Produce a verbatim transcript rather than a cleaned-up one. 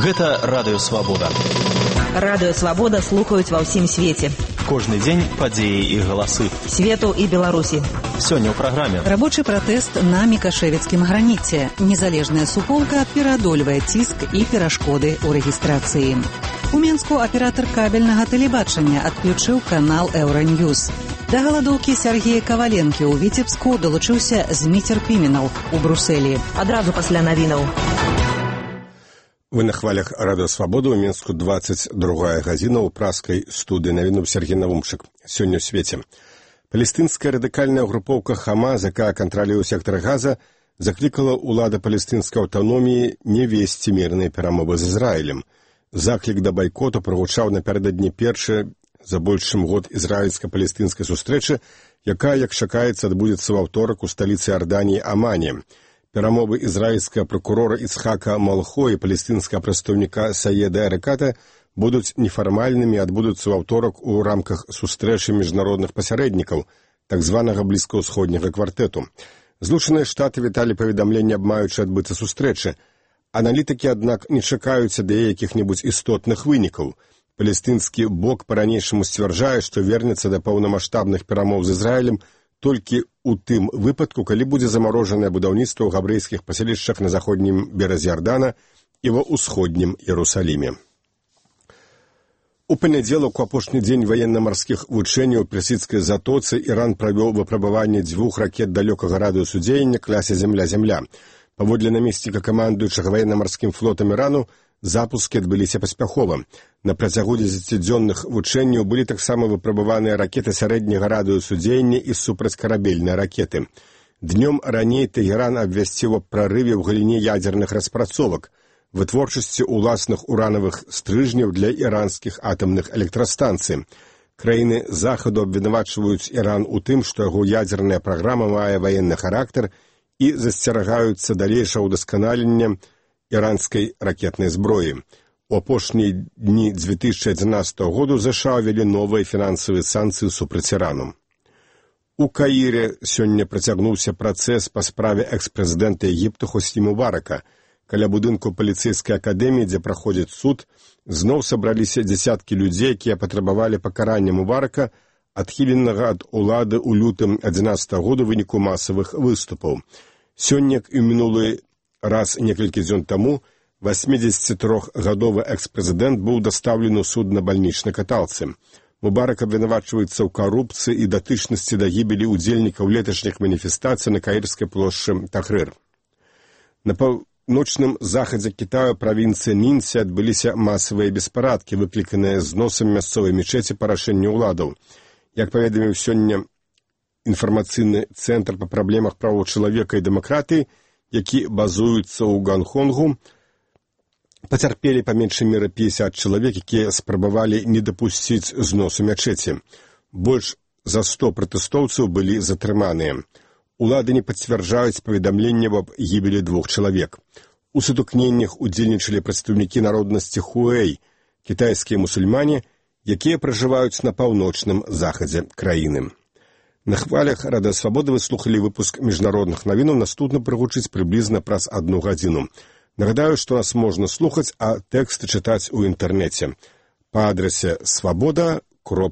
Гэта Радыё Свабода. Радыё Свабода слухаюць ва ўсім свеце. Кожны дзень падзеі і галасы. Свету і Беларусі. Сёння ў праграме. Рабочы пратэст на мікашэвіцкім граніце. Незалежная суполка пераадольвае ціск і перашкоды ў рэгістрацыі. У Менску аператар кабельнага тэлебачання адключыў канал Еўраньюз. Да галадоўкі Сергея Каваленкі ў Віцебску далучыўся Зміцер Піменаў у Брусэлі. Адразу пасля навінаў. Вы на хвалях Радыё Свабода, у Менску двадцать другая гадзіна, ў праскай студыі навінуў Сергей Навумчык. Сёння ў свеце. Палестынская радыкальная групоўка Хамас, якая кантралюе сектар Газа, заклікала ўлада палестынскай аўтаноміі не весці мірныя перамовы з Ізраілем. Заклік да байкоту прагучаў напярэдадні першай за больш чым год ізраільска-палестынскай сустрэчы, якая, як чакаецца, адбудзецца ў аўторак у сталіцы Арданіі Амане. Перамовы ізраільскага пракурора Ицхака Малхо і палестынскага прадстаўніка Саеда Эреката будуць нефармальнымі і адбудуцца ў аўторак у рамках сустрэчы міжнародных пасярэднікаў, так званага блізкаўсходняга квартэту. Злучаныя Штаты віталі паведамленне аб маючай адбыцца сустрэчы. Аналітыкі, аднак, не чакаюць ад яе якіх-небудзь істотных вынікаў. Палестынскі бок па-ранейшаму сцвярджае, што вернецца да паўнамаштабных перамоў з Ізраілем толькі ў тым выпадку, калі будзе замарожанае будаўніцтва ў габрэйскіх паселішчах на заходнім беразе Ярдана і ва ўсходнім Іерусаліме. У панядзелак, у апошні дзень ваенна-марскіх вучэнняў у персідскай затоцы, Іран правёў выпрабаванне дзвюх ракет далёкага радыусу дзеяння класе «Зямля-Зямля». Паводле намесніка камандуючага ваенна-марскім флотам Ірану, запускі адбыліся паспяхова. На працягу дзесяцідзённых вучэнняў былі таксама выпрабаваныя ракеты сярэдняга радыусу дзеяння і супрацькарабельныя ракеты. Днём раней Тэгеран абвясціў аб прарыве ў галіне ядзерных распрацовак, вытворчасці ўласных уранавых стрыжняў для іранскіх атамных электрастанцый. Краіны захаду абвінавачваюць Іран у тым, што яго ядзерная праграма мае ваенны характар і засцерагаюцца далейшага ўдасканалення іранскай ракетнай зброі. У апошнія дні дзве тысячы адзінаццатага году ЗША ўвялі новыя фінансавыя санкцыі супраць Ірану. У Каіры сёння працягнуўся працэс па справе экс-прэзідэнта Егіпта Хосні Мубарака. Каля будынку паліцэйскай акадэміі, дзе праходзіць суд, зноў сабраліся дзясяткі людзей, якія патрабавалі пакарання Мубарака, адхіленага ад улады ў лютым адзінаццатага году ў выніку масавых выступаў. Сёння, як і ў мінулы раз некалькі дзён таму, васьмідзесяцітрохгадовы экс-прэзідэнт быў дастаўлены ў суд на бальнічнай каталцы. Мубарак абвінавачваецца ў карупцыі і датычнасці да гібелі ўдзельнікаў леташніх маніфестацый на каірскай плошчы Тахрыр. На паўночным захадзе Кітаю правінцыі Нінці адбыліся масавыя беспарадкі, выкліканыя зносам мясцовай мечеці па рашэнню ўладаў. Як паведаміў сёння інфармацыйны цэнтр па праблемах правоў чалавека і дэмакратыі, які базуюцца ў Гонконгу, пацярпелі па меншай меры пяцьдзясят чалавек, якія спрабавалі не дапусціць зносу мячэці. Больш за сто пратэстоўцаў былі затрыманыя. Улады не пацвярджаюць паведамленне аб гібелі двух чалавек. У сутыкненнях удзельнічалі прадстаўнікі народнасці Хуэй, кітайскія мусульмане, якія пражываюць на паўночным захадзе краіны. На хвалях Радыё Свабода вы слухалі выпуск міжнародных навінаў, наступна прагучыць прыблізна праз адну гадзіну. Нагадаю, што нас можна слухаць, а тэксты чытаць у інтэрнэце па адрасе свабода кропка